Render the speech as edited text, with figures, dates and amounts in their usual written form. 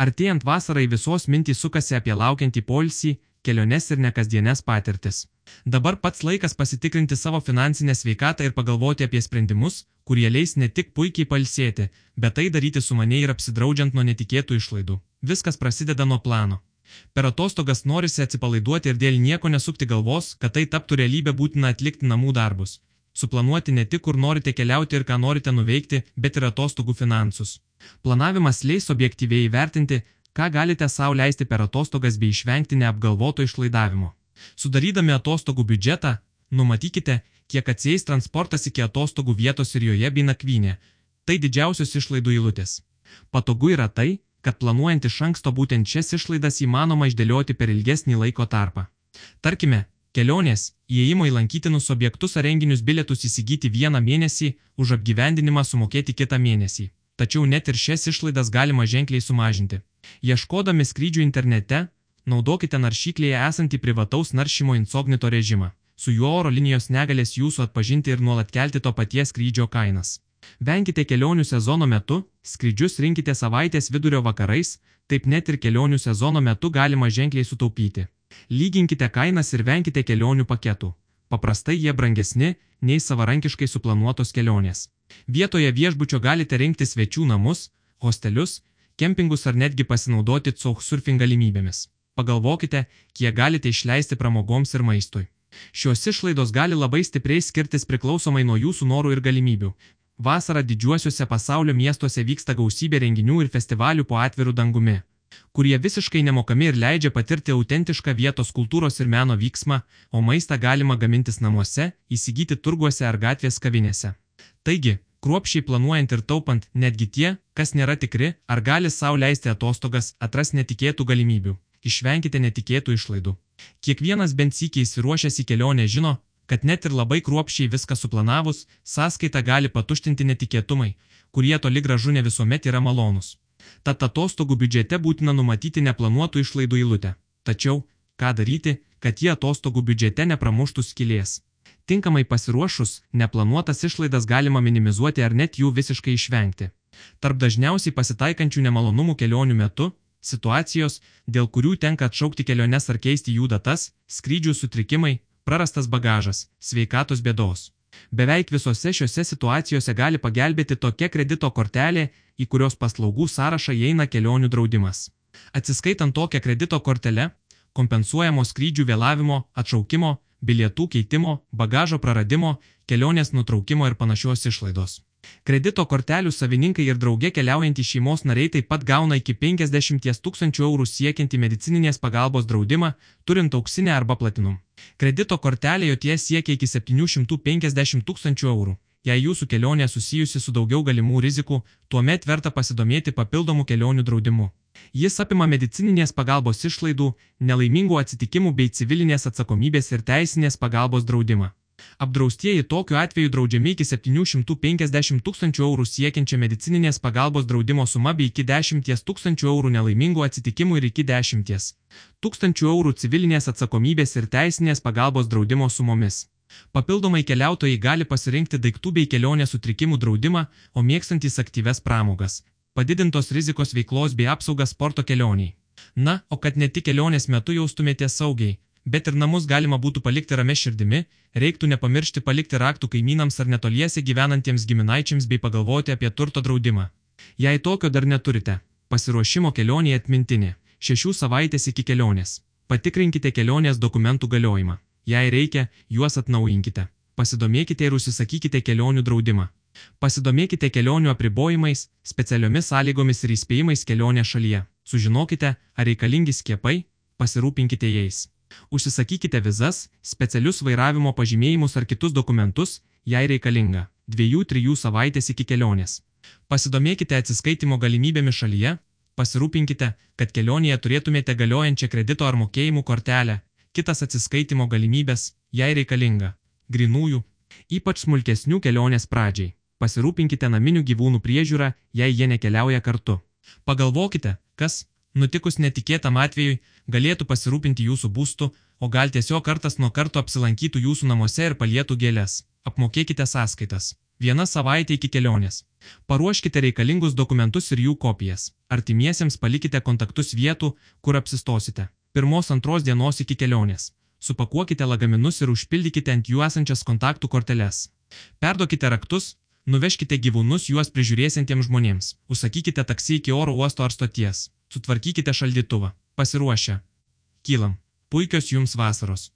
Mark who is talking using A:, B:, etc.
A: Artėjant vasarai visos mintys sukasi apie laukiantį poilsį, keliones ir nekasdienes patirtis. Dabar pats laikas pasitikrinti savo finansinę sveikatą ir pagalvoti apie sprendimus, kurie leis ne tik puikiai pailsėti, bet tai daryti sumaniai ir apsidraudžiant nuo netikėtų išlaidų. Viskas prasideda nuo plano. Per atostogas norisi atsipalaiduoti ir dėl nieko nesukti galvos, kad tai taptų realybė, būtina atlikti namų darbus. Suplanuoti ne tik, kur norite keliauti ir ką norite nuveikti, bet ir atostogų finansus. Planavimas leis objektyviai įvertinti, ką galite sau leisti per atostogas bei išvengti neapgalvoto išlaidavimo. Sudarydami atostogų biudžetą, numatykite, kiek atsieis transportas iki atostogų vietos ir joje bei nakvynė. Tai didžiausios išlaidų eilutės. Patogu yra tai, kad planuojant iš anksto būtent šias išlaidas įmanoma išdėlioti per ilgesnį laiko tarpą. Tarkime, kelionės, įėjimo į lankytinus objektus ar renginius bilietus įsigyti vieną mėnesį, už apgyvendinimą sumokėti kitą mėnesį. Tačiau net ir šias išlaidas galima ženkliai sumažinti. Ieškodami skrydžių internete, naudokite naršyklėje esantį privataus naršymo incognito režimą. Su juo oro linijos negalės jūsų atpažinti ir nuolat kelti to paties skrydžio kainas. Venkite kelionių sezono metu, skrydžius rinkite savaitės vidurio vakarais, taip net ir kelionių sezono metu galima ženkliai sutaupyti. Lyginkite kainas ir venkite kelionių paketų. Paprastai jie brangesni nei savarankiškai suplanuotos kelionės. Vietoje viešbučio galite rinkti svečių namus, hostelius, kempingus ar netgi pasinaudoti couchsurfing galimybėmis. Pagalvokite, kiek galite išleisti pramogoms ir maistui. Šios išlaidos gali labai stipriai skirtis priklausomai nuo jūsų norų ir galimybių. Vasarą didžiuosiuose pasaulio miestuose vyksta gausybė renginių ir festivalių po atviru dangumi, kurie visiškai nemokami ir leidžia patirti autentišką vietos kultūros ir meno vyksmą, o maistą galima gamintis namuose, įsigyti turguose ar gatvės kavinėse. Taigi, kruopščiai planuojant ir taupant, netgi tie, kas nėra tikri, ar gali sau leisti atostogas, atras netikėtų galimybių. Išvenkite netikėtų išlaidų. Kiekvienas bent sykį įsiruošęs į kelionę žino, kad net ir labai kruopščiai viską suplanavus, sąskaitą gali patuštinti netikėtumai, kurie toli gražu ne visuomet yra malonūs. Tad atostogų biudžete būtina numatyti neplanuotų išlaidų eilutę. Tačiau, ką daryti, kad jie atostogų biudžete nepramuštų skylės? Tinkamai pasiruošus, neplanuotas išlaidas galima minimizuoti ar net jų visiškai išvengti. Tarp dažniausiai pasitaikančių nemalonumų kelionių metu – situacijos, dėl kurių tenka atšaukti keliones ar keisti jų datas, skrydžių sutrikimai, prarastas bagažas, sveikatos bėdos. Beveik visose šiose situacijose gali pagelbėti tokia kredito kortelė, į kurios paslaugų sąrašą įeina kelionių draudimas. Atsiskaitant tokią kredito kortelę, kompensuojamos skrydžių vėlavimo, atšaukimo, bilietų keitimo, bagažo praradimo, kelionės nutraukimo ir panašios išlaidos. Kredito kortelių savininkai ir drauge keliaujantys šeimos nariai taip pat gauna iki 50 000 eurų siekiantį medicininės pagalbos draudimą, turint auksinę arba platinum. Kredito kortelė jotie siekia iki 750 000 eurų. Jei jūsų kelionė susijusi su daugiau galimų rizikų, tuomet verta pasidomėti papildomų kelionių draudimu. Jis apima medicininės pagalbos išlaidų, nelaimingų atsitikimų bei civilinės atsakomybės ir teisinės pagalbos draudimą. Apdraustieji tokiu atveju draudžiami iki 750 000 eurų siekiančią medicininės pagalbos draudimo sumą bei iki 10 000 eurų nelaimingų atsitikimų ir iki 10 000 eurų civilinės atsakomybės ir teisinės pagalbos draudimo sumomis. Papildomai keliautojai gali pasirinkti daiktų bei kelionės sutrikimų draudimą, o mėgstantys aktyves pramogas, padidintos rizikos veiklos bei apsaugas sporto kelioniai. Na, o kad ne tik kelionės metu jaustumėtės saugiai, bet ir namus galima būtų palikti ramia širdimi, reiktų nepamiršti palikti raktų kaimynams ar netoliese gyvenantiems giminaičiams bei pagalvoti apie turto draudimą. Jei tokio dar neturite, pasiruošimo kelionėje atmintinė – 6 savaitės iki kelionės. Patikrinkite kelionės dokumentų galiojimą. Jei reikia, juos atnaujinkite. Pasidomėkite ir užsisakykite kelionių draudimą. Pasidomėkite kelionių apribojimais, specialiomis sąlygomis ir įspėjimais kelionės šalyje. Sužinokite, ar reikalingi skiepai, pasirūpinkite jais. Užsisakykite vizas, specialius vairavimo pažymėjimus ar kitus dokumentus, jei reikalinga. 2–3 savaitės iki kelionės. Pasidomėkite atsiskaitimo galimybėmis šalyje. Pasirūpinkite, kad kelionėje turėtumėte galiojančią kredito ar mokėjimų kortelę. Kitas atsiskaitimo galimybės, jei reikalinga. Grynųjų, ypač smulkesnių kelionės pradžiai. Pasirūpinkite naminių gyvūnų priežiūrą, jei jie nekeliauja kartu. Pagalvokite, kas, nutikus netikėtam atvejui, galėtų pasirūpinti jūsų būstu, o gal tiesiog kartas nuo karto apsilankytų jūsų namuose ir palietų gėles. Apmokėkite sąskaitas. Viena savaitė iki kelionės. Paruoškite reikalingus dokumentus ir jų kopijas. Artimiesiems palikite kontaktus vietų, kur apsistosite. 1-2 dienos iki kelionės. Supakuokite lagaminus ir užpildykite ant jų esančias kontaktų korteles. Perduokite raktus, nuvežkite gyvūnus juos prižiūrėsintiems žmonėms. Užsakykite taksi iki oro uosto ar stoties. Sutvarkykite šaldytuvą. Pasiruošę. Kylam. Puikios jums vasaros.